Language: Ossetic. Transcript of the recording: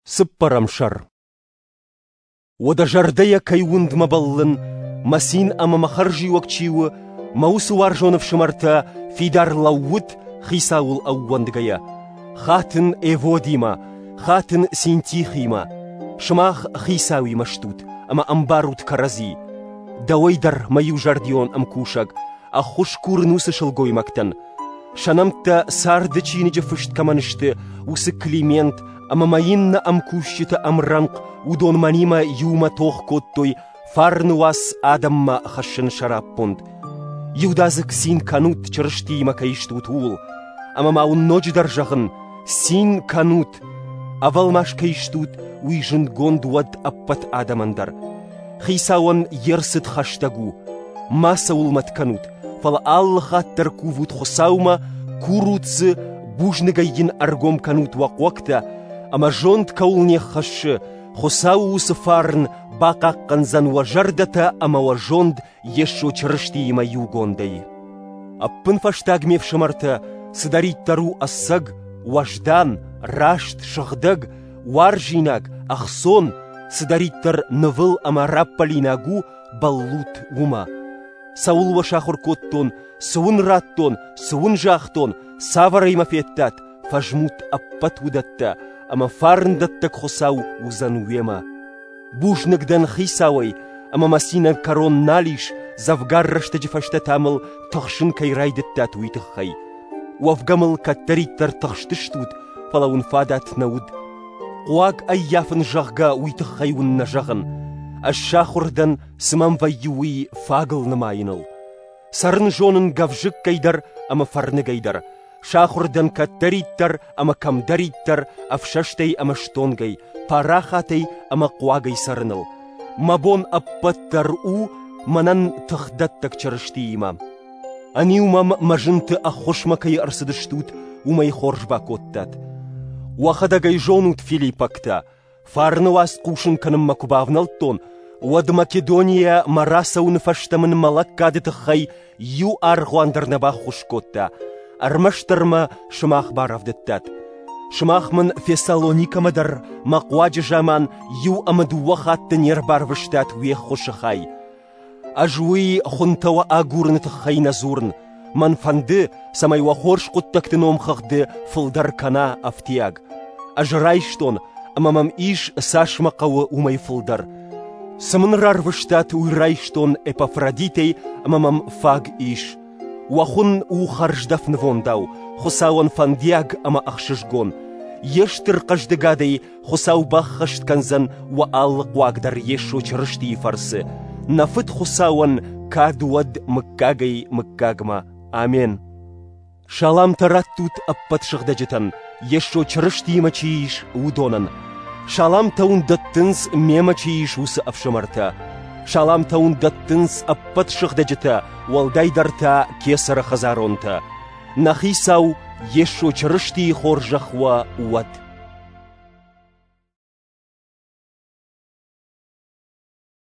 Цыппӕрӕм сӕр. Уӕдӕ зӕрдӕйӕ кӕй уындмӕ бӕллын, мӕ цин ӕмӕ мӕ хӕрзиуӕг чи у, мӕ уыцы уарзон ӕфсымӕртӕ, фидар лӕуут Хицауыл ӕууӕндгӕйӕ. Хатын Эводимӕ, хатын Синтихимӕ. Сымах Хицауимӕ стут ӕмӕ ӕмбарут кӕрӕдзи. Дӕуӕй дӕр, мӕ иузӕрдион ӕмкусӕг, ӕххуыс курын уыцы сылгоймӕгтӕн. Сӕ нӕмттӕ царды чиныджы фыст кӕмӕн сты, уыцы Климент ӕмӕ мӕ иннӕ ӕмкусджыты ӕмрӕнхъ уыдон мӕнимӕ иумӕ тох кодтой фарны уац адӕммӕ хӕссыны сӕраппонд. Иудадзыг цин кӕнут, Чырыстиимӕ кӕй стут, ууыл. Ӕмӕ ма уын ноджыдӕр зӕгъын, цин кӕнут! Ӕвӕлмас кӕй стут, уый зындгонд уӕд ӕппӕт адӕмӕн дӕр. Хицауӕн йе рцыд хӕстӕг у. Мацӕуыл мӕт кӕнут, фӕлӕ алы хатт дӕр кувут Хуыцаумӕ, курут дзы, бузныгӕй йын ӕргом кӕнут уӕ хъуӕгтӕ, ӕмӕ зонд кӕуыл не ххӕссы, Хуыцауы уыцы фарн бахъахъхъӕндзӕн уӕ зӕрдӕтӕ ӕмӕ уӕ зонд Йесо Чырыстиимӕ иугондӕй. Ӕппынфӕстаг ме фсымӕртӕ, цыдӕриддӕр у ӕцӕг, уӕздан, раст, сыгъдӕг, уарзинаг, ӕхцон, цыдӕриддӕр нывыл ӕмӕ раппӕлинаг у, бӕллут уымӕ. Цӕуыл уӕ сахуыр кодтон, цы уын радтон, цы уын загътон, цавӕрӕй мӕ федтат, фӕзмут ӕппӕт уыдӕттӕ, ӕмӕ фарндӕттӕг Хуыцау уыдзӕн уемӕ. Бузныг дӕн Хицауӕй, ӕмӕ мӕ цинӕн кӕрон нал ис, дзӕвгар рӕстӕджы фӕстӕ та мыл тыхсын кӕй райдыдтат, уый тыххӕй. Уӕвгӕ мыл кӕддӕриддӕр тыхстыстут, фӕлӕ уын фадат нӕ уыд. Хъуаг ӕййафын, зӕгъгӕ, уый тыххӕй уын нӕ зӕгъын. Ӕз сахуыр дӕн, цы мӕм вӕййы, уый фагыл нымайыныл. Цӕрын зонын гӕвзыккӕй дӕр ӕмӕ фӕрныгӕй дӕр. Сахуыр дӕн кӕддӕриддӕр ӕмӕ кӕмдӕриддӕр ӕфсӕстӕй ӕмӕ стонгӕй, парахатӕй ӕмӕ хъуагӕй цӕрыныл. Мӕ бон ӕппӕт дӕр у мӕнӕн тыхдӕттӕг Чырыстиимӕ. Ӕниу мӕм мӕ зынты ӕххуысмӕ кӕй ӕрцыдыстут, уымӕй хорз бакодтат. Уӕхӕдӕг ӕй зонут, филиппӕгтӕ, фарны уац хъусын кӕнынмӕ куы бавнӕлдтон, уӕд Македонийӕ мӕ рацӕуыны фӕстӕ мын мӕ лӕггады тыххӕй иу аргъуан дӕр нӕ баххуыс кодта, ӕрмӕстдӕр мӕ сымах барӕвдыдтат. Сымах мын Фессалоникӕмӕ дӕр мӕ хъуаджы заман иу ӕмӕ дыууӕ хатты не рбарвыстат уе ххуысы хай. Ӕз уый хуынтӕ уӕ агурыны тыххӕй нӕ дзурын. Мӕн фӕнды, цӕмӕй уӕ хорз хъуыддӕгты номхыгъды фылдӕр кӕна ӕфтиаг. Ӕз райстон, ӕмӕ мӕм ис, цас мӕ хъӕуы, уымӕй фылдӕр. Цы мын рарвыстат, уый райстон Эпафродитӕй ӕмӕ мӕм фаг ис. Уӕ хуын у хӕрздӕф нывондау, Хуыцауӕн фӕндиаг ӕмӕ ӕхсызгон. Йе стыр хъӕздыгадӕй Хуыцау баххӕст кӕндзӕн уӕ алы хъуаг дӕр Йесо Чырыстийы фӕрцы. Нӕ Фыд Хуыцауӕн кад уӕд мыггагӕй-мыггагмӕ. Амен. Саламтӕ раттут ӕппӕт сыгъдӕджытӕн, Йесо Чырыстиимӕ чи ис, уыдонӕн. Саламтӕ уын дӕттынц, мемӕ чи ис, уыцы ӕфсымӕртӕ. Саламтӕ уын дӕттынц ӕппӕт сыгъдӕджытӕ, уӕлдайдӕр та кесӕры хӕдзаронтӕ. Нӕ Хицау Йесо Чырыстийы хорзӕх уӕ уӕд!